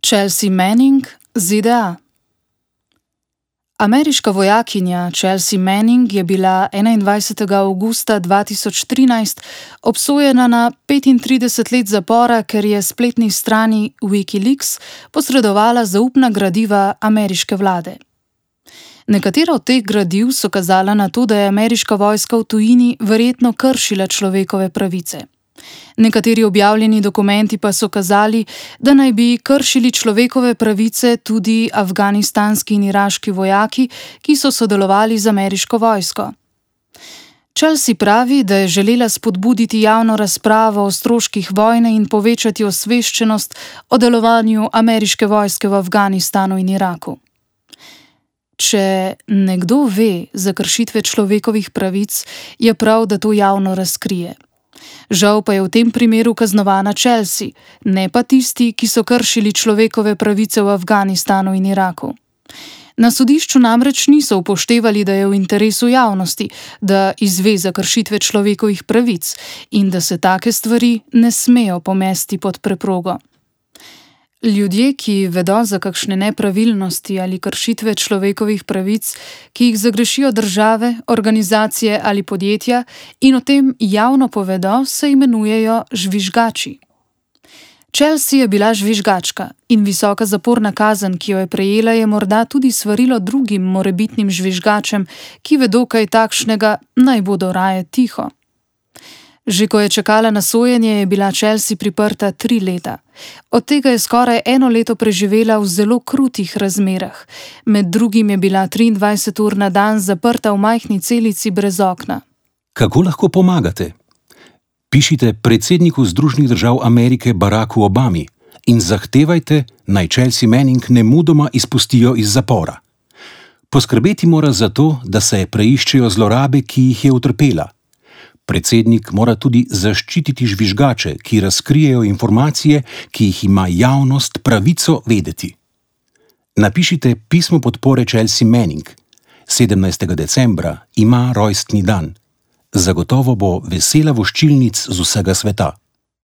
Chelsea Manning, ZDA. Ameriška vojakinja Chelsea Manning je bila 21. avgusta 2013 obsojena na 35 let zapora, ker je spletni strani Wikileaks posredovala zaupna gradiva ameriške vlade. Nekatera od teh gradiv so kazala na to, da je ameriška vojska v tujini verjetno kršila človekove pravice. Nekateri objavljeni dokumenti pa so kazali, da naj bi kršili človekove pravice tudi afganistanski in iraški vojaki, ki so sodelovali z ameriško vojsko. Chelsea pravi, da je želela spodbuditi javno razpravo o stroških vojne in povečati osveščenost o delovanju ameriške vojske v Afganistanu in Iraku. Če nekdo ve za kršitve človekovih pravic, je prav, da to javno razkrije. Žal pa je v tem primeru kaznovana Chelsea, ne pa tisti, ki so kršili človekove pravice v Afganistanu in Iraku. Na sodišču namreč niso upoštevali, da je v interesu javnosti, da izve za kršitve človekovih pravic in da se take stvari ne smejo pomesti pod preprogo. Ljudje, ki vedo za kakšne nepravilnosti ali kršitve človekovih pravic, ki jih zagrešijo države, organizacije ali podjetja in o tem javno povedo, se imenujejo žvižgači. Chelsea je bila žvižgačka in visoka zaporna kazen, ki jo je prejela, je morda tudi svarilo drugim morebitnim žvižgačem, ki vedo kaj takšnega, naj bodo raje tiho. Že ko je čakala na sojenje, je bila Chelsea priprta 3 leta. Od tega je skoraj 1 leto preživela v zelo krutih razmerah. Med drugim je bila 23 ur na dan zaprta v majhni celici brez okna. Kako lahko pomagate? Pišite predsedniku Združenih držav Amerike Baracku Obami in zahtevajte, naj Chelsea Manning nemudoma izpustijo iz zapora. Poskrbeti mora za to, da se preiščejo zlorabe, ki jih je utrpela. Predsednik mora tudi zaščititi žvižgače, ki razkrijejo informacije, ki jih ima javnost pravico vedeti. Napišite pismo podpore Chelsea Manning. 17. decembra ima rojstni dan. Zagotovo bo vesela voščilnic z vsega sveta.